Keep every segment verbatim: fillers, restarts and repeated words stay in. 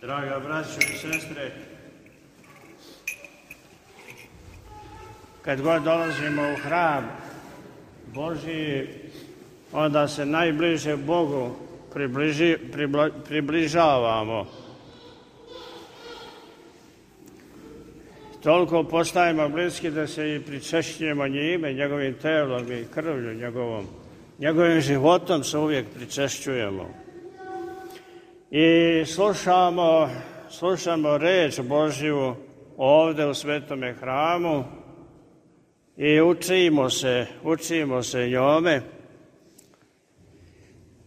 Draga braćo i sestre, kad god dolazimo u hram Božji, onda se najbliže Bogu približi, pribla, približavamo. Toliko postajemo bliski da se i pričešćujemo njime, njegovim telom i krvlju njegovom. Njegovim životom se uvijek pričešćujemo. I slušamo, slušamo reč Božju ovdje u svetome hramu i učimo se, učimo se njome.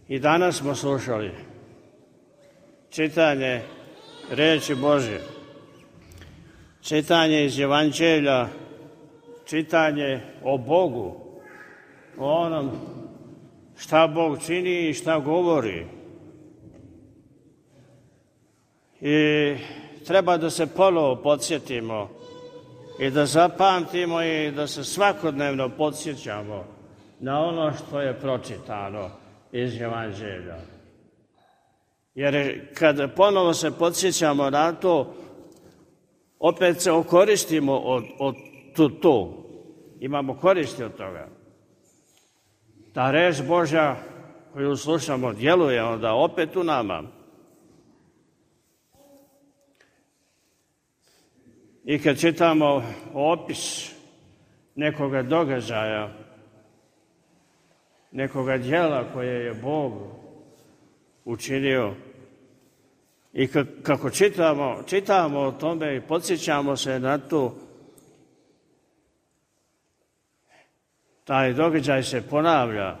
I danas smo slušali čitanje reči Božje, čitanje iz Evanđelja, čitanje o Bogu, o onom šta Bog čini i šta govori. I treba da se ponovo podsjetimo i da zapamtimo i da se svakodnevno podsjećamo na ono što je pročitano iz Evanđelja. Jer kad ponovo se podsjećamo na to, opet se okoristimo od, od to, to. Imamo koristi od toga. Ta reč Božja koju slušamo djeluje onda opet u nama. I kad čitamo opis nekoga događaja, nekoga djela koje je Bog učinio, i kako čitamo, čitamo o tome i podsjećamo se na to, taj događaj se ponavlja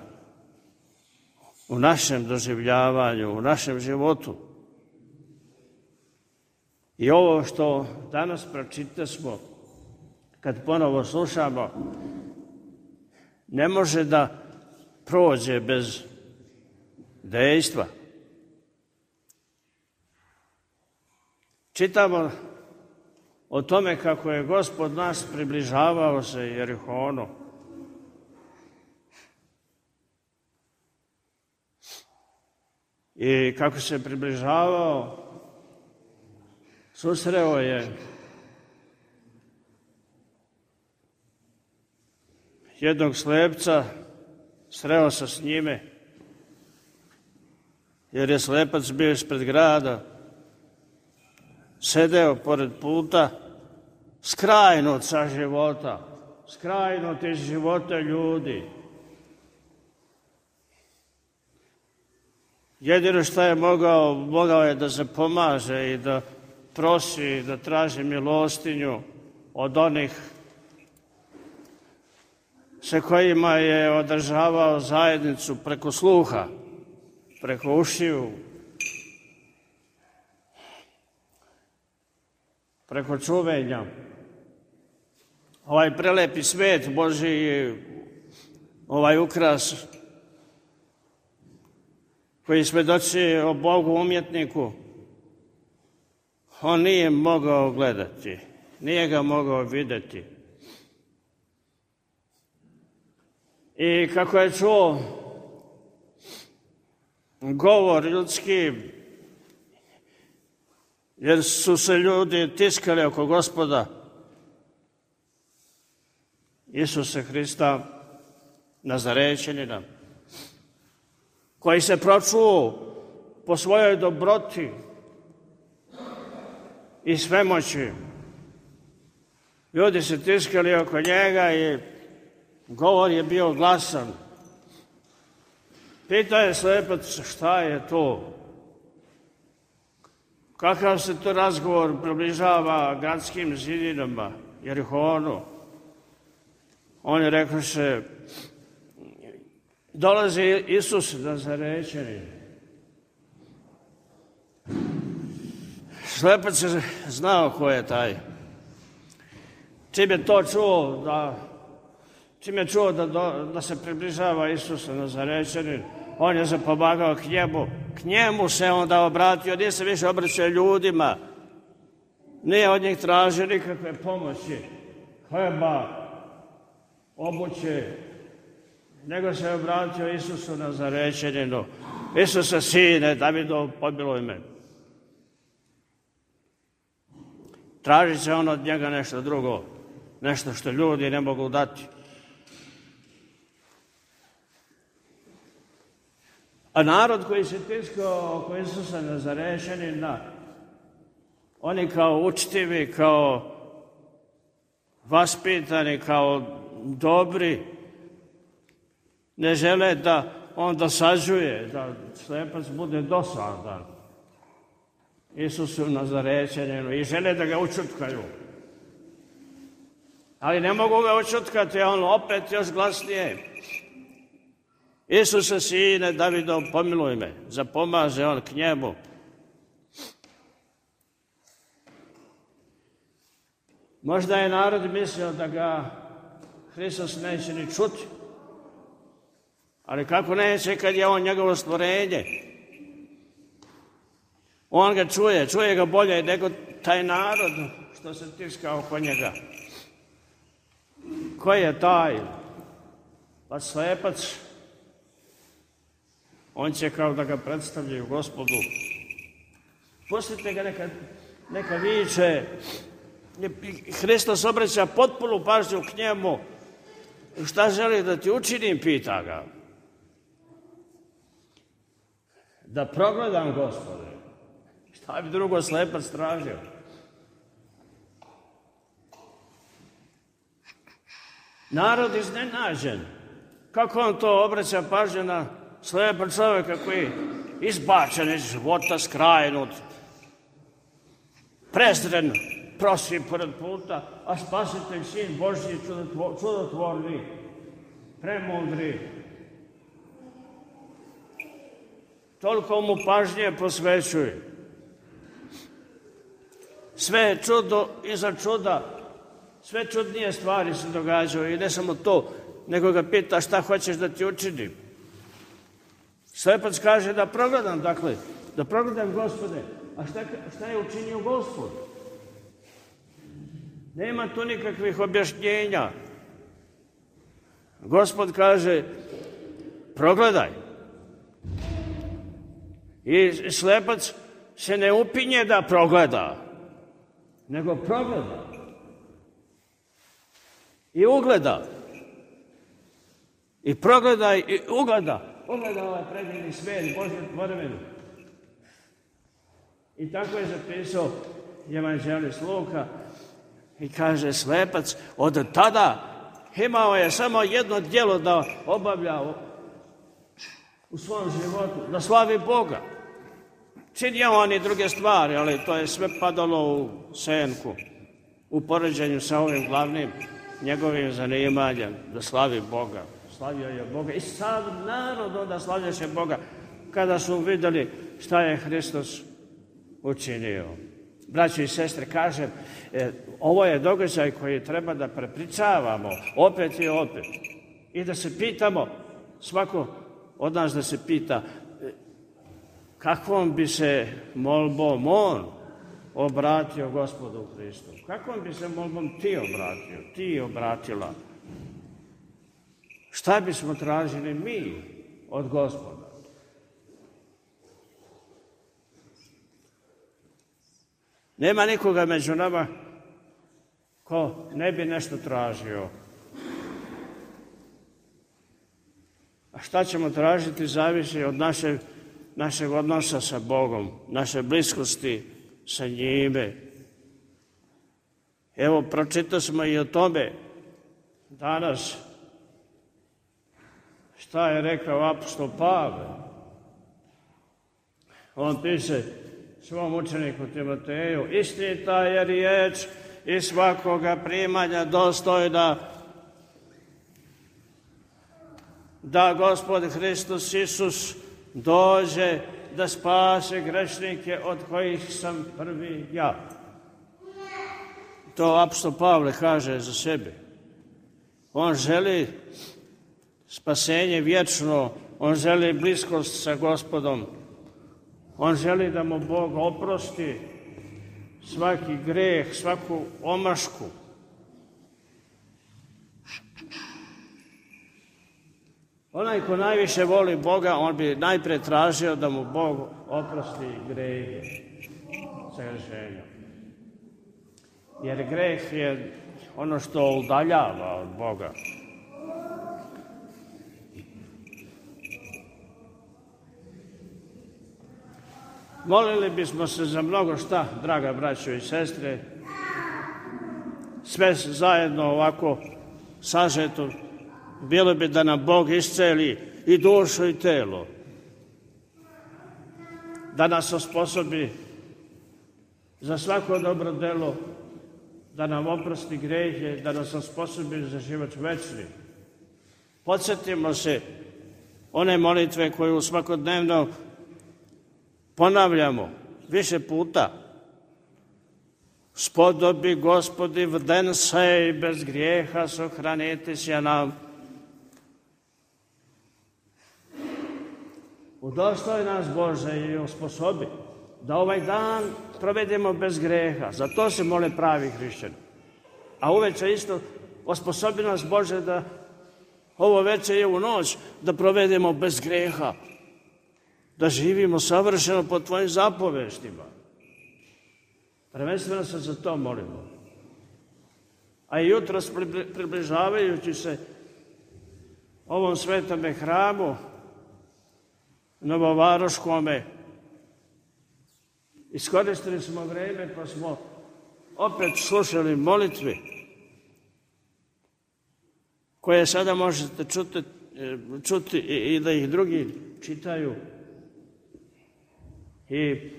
u našem doživljavanju, u našem životu. I ovo što danas pročitasmo, kad ponovo slušamo, ne može da prođe bez dejstva. Čitamo o tome kako je Gospod nas približavao se Jerihonu. I kako se približavao, susreo je jednog slepca, sreo se s njime, jer je slepac bio ispred grada, sedeo pored puta, skrajnut sa života, skrajnut iz života ljudi. Jedino što je mogao, mogao je da se pomaže i da prosi, da traži milostinju od onih sa kojima je održavao zajednicu preko sluha, preko ušiju, preko čuvenja. Ovaj prelepi svet Božji, ovaj ukras koji svedoči o Bogu umjetniku, on nije mogao gledati, nije ga mogao vidjeti. I kako je čuo govor ljudski, jer su se ljudi tiskali oko Gospoda Isusa Hrista, Nazarečanina, koji se pročuo po svojoj dobroti i svemoći. Ljudi se tiskali oko njega i govor je bio glasan. Pitao je slepac šta je to? Kakav se to razgovor približava gradskim zidinama, Jerihonu? On je rekao se, dolazi Isus Nazarečanin. Slepac je znao ko je taj. Čim je to čuo, da, čim je čuo da, do, da se približava Isus Nazarečanin, on je se pomagao k njemu. K njemu se onda obratio, nije se više obraćao ljudima. Nije od njih tražio nikakve pomoći, hleba, obuće, nego se obratio Isusu Nazarečaninu. Isuse, sine Davidov, pomiluj me. tražit će on od njega nešto drugo, nešto što ljudi ne mogu dati. A narod koji se tiskao oko Isusa Nazarešćanina, oni kao učtivi, kao vaspitani, kao dobri, ne žele da on dosađuje, da slepac bude dosadan Isusu Nazarečaninu i žele da ga učutkaju. Ali ne mogu ga učutkati, a on opet još glasnije. Isuse, sine Davidov, pomiluj me. Zapomaže on k njemu. Možda je narod mislio da ga Hristos neće ni čuti. Ali kako neće kad je on njegovo stvorenje? On ga čuje, čuje ga bolje nego taj narod što se tiska oko njega. Ko je taj? Pa slepac. On će kao da ga predstavljaju Gospodu. Pustite ga neka, neka viče. Hristos obraća potpunu pažnju k njemu. Šta želi da ti učinim, pita ga. Da progledam, Gospode. Šta bi drugo slepac tražio? Narod iznenađen. Kako on to obraća pažnju na slepa čovjeka koji je izbačen iz života, skrajnut, prezren, prosi pored puta, a spasitelj, sin Božji, čudotvorni, premudri. Toliko mu pažnje posvećuje. Sve je čudo iza čuda, sve čudnije stvari se događaju i ne samo to, nego ga pita šta hoćeš da ti učinim. Slepac kaže da progledam, dakle, da progledam, Gospode, a šta, šta je učinio Gospod? Nema tu nikakvih objašnjenja. Gospod kaže, progledaj. I slepac se ne upinje da progleda, nego progleda. I ugleda. I progleda i ugleda. Ugleda ovaj predivni svijet, Božju tvorevinu. I tako je zapisao evanđelist Luka i kaže slepac od tada imao je samo jedno djelo da obavlja u svom životu, da slavi Boga. Činio on i druge stvari, ali to je sve padalo u senku, u poređenju sa ovim glavnim njegovim zanimanjem, da slavi Boga. Slavio je Boga i sav narod onda slavljaše Boga kada su vidjeli šta je Hristos učinio. Braći i sestre, kažem, e, ovo je događaj koji treba da prepričavamo opet i opet. I da se pitamo, svako od nas da se pita, e, kakvom bi se molbom on obratio Gospodu Hristu? Kakvom bi se molbom ti obratio, ti obratila? Šta bismo tražili mi od Gospoda? Nema nikoga među nama ko ne bi nešto tražio. A šta ćemo tražiti zavisi od naše, našeg odnosa sa Bogom, naše bliskosti sa njime. Evo, pročitali smo i o tome danas. Šta je rekao apostol Pavle? On piše svom učeniku Timoteju, istinita je riječ i svakoga primanja dostojna da Gospod Hristos Isus dođe da spase grešnike od kojih sam prvi ja. To apostol Pavle kaže za sebe. On želi spasenje vječno, on želi bliskost sa Gospodom, on želi da mu Bog oprosti svaki greh, svaku omašku. Onaj ko najviše voli Boga, on bi najprije tražio da mu Bog oprosti grehe, sagrešenja. jer greh je ono što udaljava od Boga. Molili bismo se za mnogo šta, draga braćo i sestre, sve zajedno ovako sažeto, bilo bi da nam Bog isceli i dušu i telo, da nas osposobi za svako dobro delo, da nam oprosti grehe, da nas osposobi za život večni. Podsjetimo se one molitve koju svakodnevno ponavljamo više puta. Spodobi, Gospodi, v den sej bez grijeha sohraniti se nam. Udostoj nas, Bože, i osposobi da ovaj dan provedemo bez grijeha. Za to se mole pravi hrišćani. A uveče isto osposobi nas, Bože, da ovo veče je u noć da provedemo bez grijeha. Da živimo savršeno po Tvojim zapoveštima. Prvenstveno se za to molimo. A i jutros približavajući se ovom svetome hramu, Novovaroškome, iskoristili smo vreme pa smo opet slušali molitve koje sada možete čuti, čuti i da ih drugi čitaju. I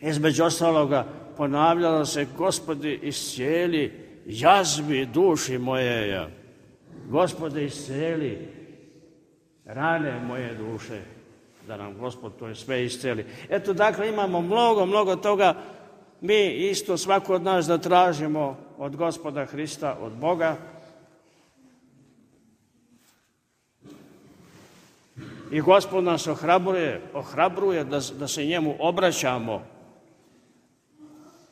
između ostaloga ponavljalo se: Gospodi, iscijeli jazvi duši moje. Gospodi, iscijeli rane moje duše. Da nam Gospod to sve iscijeli. Eto, dakle, imamo mnogo, mnogo toga. Mi isto, svako od nas, da tražimo od Gospoda Hrista, od Boga. I Gospod nas ohrabruje, ohrabruje da, da se njemu obraćamo.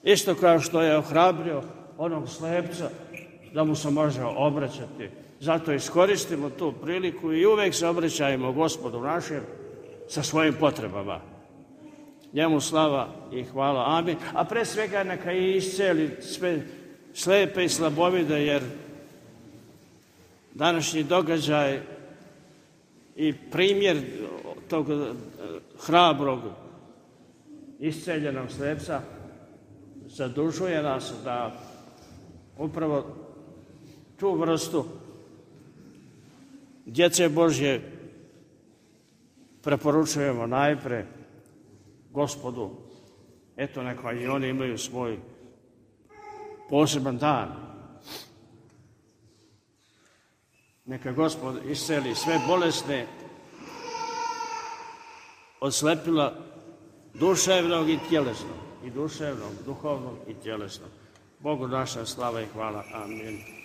Isto kao što je ohrabrio onog slepca da mu se može obraćati. Zato iskoristimo tu priliku i uvek se obraćajmo Gospodu našem sa svojim potrebama. Njemu slava i hvala. Amin. A pre svega neka i isceli sve slepe i slabovide, jer današnji događaj i primjer tog hrabrog isceljenog slepca zadužuje nas da upravo tu vrstu djece Božje preporučujemo najpre Gospodu. Eto, neka i oni imaju svoj poseban dan. Neka Gospod isceli sve bolesne od slepila duševnog i tjelesnog, i duševnog, duhovnog i tjelesnog. Bogu naša slava i hvala. Amin.